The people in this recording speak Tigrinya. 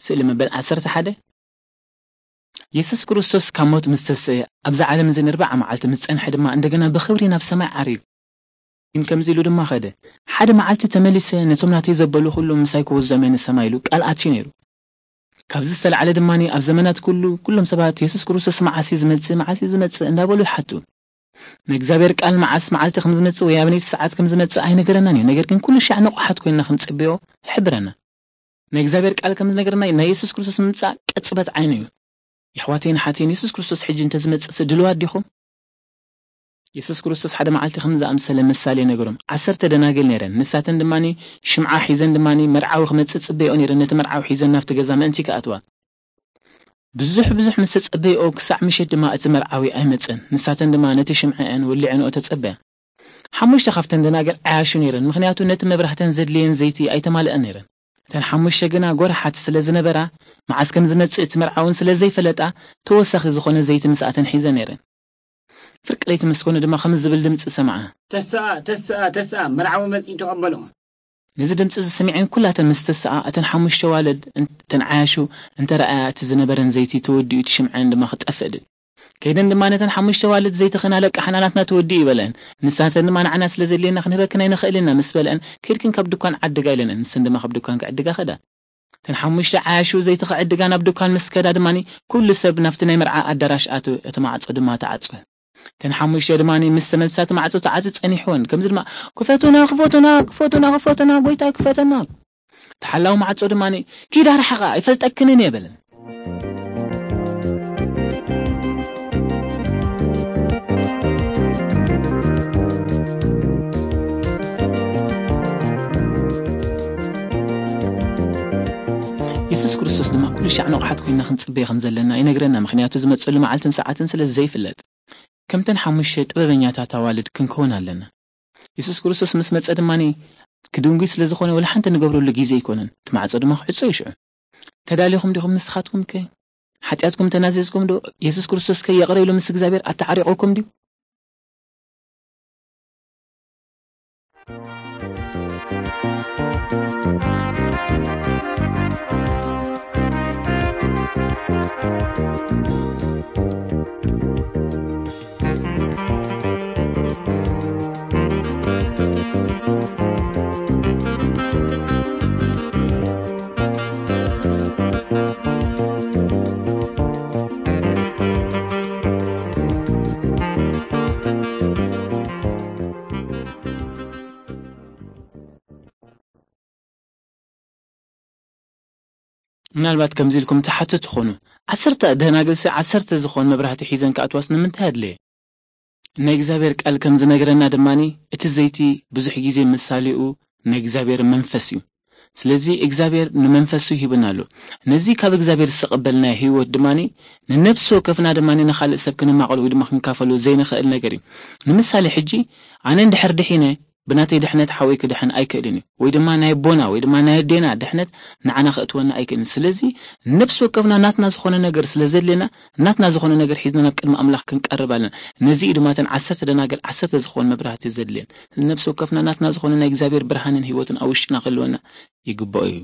ስእሊ መበል ዓሰርተ ሓደ። የሱስ ክርስቶስ ካብ ሞት ምስ ተስአ፣ ኣብዛ ዓለም እዚ ንርብዓ መዓልቲ ምስ ጸንሐ ድማ፣ እንደገና ብኽብሪ ናብ ሰማይ ዓሪጉ። ግን ከምዚ ኢሉ ድማ ኸደ፣ "ሓደ መዓልቲ ተመሊሰ ነቶም ናተይ ዘበሉ ኩሉ ምሳይ ክወስዶም እየ ንሰማይ" ኢሉ ቃል ኣትዩ ነይሩ። ካብዚ ዝተላዕለ ድማ ኣብ ዘመናት ኩሉ፣ ኩሎም ሰባት፣ "የሱስ ክርስቶስ መዓስ እዩ ዝመጽእ? መዓስ እዩ ዝመጽእ?" እንዳበሉ ይሓቱ። ንእግዚኣብሔር ቃል መዓስ መዓልቲ ከም ዝመጽእ ወይ ኣበነይቲ ሰዓት ከም ዝመጽእ ኣይነገረናን እዩ። ነገር ግን ኩሉ ሻዕ ንቑሓት ኮይንና ክንጽበዮ ይሕብረና። ናይ እግዚኣብሔር ቃል ከም ዝነገረና፣ ናይ የሱስ ክርስቶስ ምምጻእ ቅጽበት ዓይኑ እዩ። የሕዋተይን ሓተይን፣ የሱስ ክርስቶስ ሕጂ እንተዝመጽእሲ ድልዋት ዲኹም? የሱስ ክርስቶስ ሓደ መዓልቲ ከም ዝኣምሰለ ምሳሌ ነገሮም። ዓሰርተ ደናግል ነይረን። ንሳተን ድማ ሽምዓ ሒዘን ድማ መርዓዊ ክመጽእ ጽበይኦ ነይረን። ነቲ መርዓዊ ሒዘን ናብቲ ገዛ ምእንቲ ክኣትዋ። ብዙሕ ብዙሕ ምስ ተጸበይኦ፣ ክሳዕ ምሸት ድማ እቲ መርዓዊ ኣይመጸን። ንሳተን ድማ ነቲ ሽምዐአን ወሊዐንኦ ተጸበያ። ሓሙሽተ ካብተን ደናግል ዓያሹ ነይረን፣ ምኽንያቱ ነቲ መብራህተን ዘድልየን ዘይቲ ኣይተማልአን ነይረን። እተን ሓሙሽተ ግና ጎርሓት ስለ ዝነበራ፣ መዓስ ከም ዝመጽእ እቲ መርዓውን ስለ ዘይፈለጣ፣ ተወሳኺ ዝኾነ ዘይቲ ምስኣተን ሒዘን ነይረን። ፍርቂ ለይቲ ምስ ኮነ ድማ ከምዚ ዝብል ድምጺ ሰምዓ። "ተስኣ፣ ተስኣ፣ ተስኣ፣ መርዓዊ መጺኡ ተቐበሎ!" ነዚ ድምጺ እዚ ሰሚዐን ኩላተን ምስ ተስኣ፣ እተን ሓሙሽተ ዋልድ እን-፣ እተን ዓያሹ እንተ ረኣያ፣ እቲ ዝነበረን ዘይቲ ተወዲኡ፣ እቲ ሽምዐን ድማ ክጠፍእ ድል። ከይደን ድማ ነተን ሓሙሽተ ዋልድ፣ "ዘይትኽን ኣለቃሕና፣ ናትና ተወዲኡ" ይበለአን። ንሳተን ድማ፣ "ንዓና ስለ ዘድልየና ክንህበክን ኣይንኽእልን ኢና" ምስ በለአን፣ "ከይድክን ካብ ድኳን ዓድጋ" ኢለንአን። ንሰን ድማ ካብ ድኳን ክዕድጋ ኸዳ። እተን ሓሙሽተ ዓያሹ ዘይቲ ክዕድጋ ናብ ድኳን ምስ ከዳ ድማ፣ ኩሉ ሰብ ናብቲ ናይ መርዓ ኣዳራሽ ኣትወ፣ እቲ ማዕጾ ድማ ተዓጽወ። እተን ሓሙሽተ ድማ ምስ ተመልሳ፣ እቲ ማዕጾ ተዓጽዩ ጸኒሕወን። ከምዚ ድማ፣ "ክፈቱና፣ ክፈቱና፣ ክፈቱና፣ ክፈቱና፣ ጎይታይ ክፈተና!" ተሓላዊ ማዕጾ ድማ፣ "ኪድ ኣርሕቓ፣ ኣይፈልጠክንን እየ" በለን። የሱስ ክርስቶስ ድማ ኩሉ ሻዕ ንቑሓት ኮይንና ክንጽበዮ ከም ዘለና ይነግረና፣ ምኽንያቱ ዝመጸሉ መዓልትን ሰዓትን ስለ ዘይፍለጥ። ከምተን ሓሙሽተ ጥበበኛታት ኣዋልድ ክንከውን ኣለና። የሱስ ክርስቶስ ምስ መጸ ድማ ክድንጉይ ስለ ዝኾነ፣ ወላ ሓንቲ ንገብረሉ ግዜ ኣይኮነን። እቲ ማዕጾ ድማ ክዕጾ እዩ ሽዑ። ተዳሊኹም ዲኹም ንስኻትኩም ከ? ሓጢኣትኩም ተናዚዝኩም ዶ? የሱስ ክርስቶስ ከ ይቕረ ኢሉ ምስ እግዚኣብሔር ኣተዓሪቑኩም ድዩ? ምናልባት ከምዚ ኢልኩም ትሓቱ ትኾኑ፣ "ዓሰርተ ደናግልሲ ዓሰርተ ዝኾን መብራህቲ ሒዘን ክኣትዋስ ንምንታይ ኣድለየ?" ናይ እግዚኣብሔር ቃል ከም ዝነግረና ድማ፣ እቲ ዘይቲ ብዙሕ ግዜ ምሳሌኡ ናይ እግዚኣብሔር መንፈስ እዩ። ስለዚ እግዚኣብሔር ንመንፈሱ ሂብና ኣሎ። ነዚ ካብ እግዚኣብሔር ዝተቐበልናዮ ህይወት ድማ፣ ንነፍሲ ወከፍና ድማ ንኻልእ ሰብ ክንማቐሎ ወይ ድማ ክንካፈሎ ዘይንኽእል ነገር እዩ። ንምሳሌ ሕጂ፣ ኣነ እንድሕር ድሒነ፣ ብናተይ ድሕነት ሓወይ ክድሕን ኣይክእልን እዩ። ወይ ድማ ናይ ኣቦና ወይ ድማ ናይ ኣዴና ድሕነት ንዓና ከእትወና ኣይክእልን። ስለዚ ነፍሲ ወከፍና ናትና ዝኾነ ነገር ስለ ዘድልየና፣ ናትና ዝኾነ ነገር ሒዝና ናብ ቅድሚ ኣምላኽ ክንቀርብ ኣለና። ነዚ እዩ ድማ እተን ዓሰርተ ደናግል ዓሰርተ ዝኾን መብራህቲ ዘድልየን። ነፍሲ ወከፍና ናትና ዝኾነ ናይ እግዚኣብሔር ብርሃንን ህይወትን ኣብ ውሽጥና ክህልወና ይግባኦ እዩ።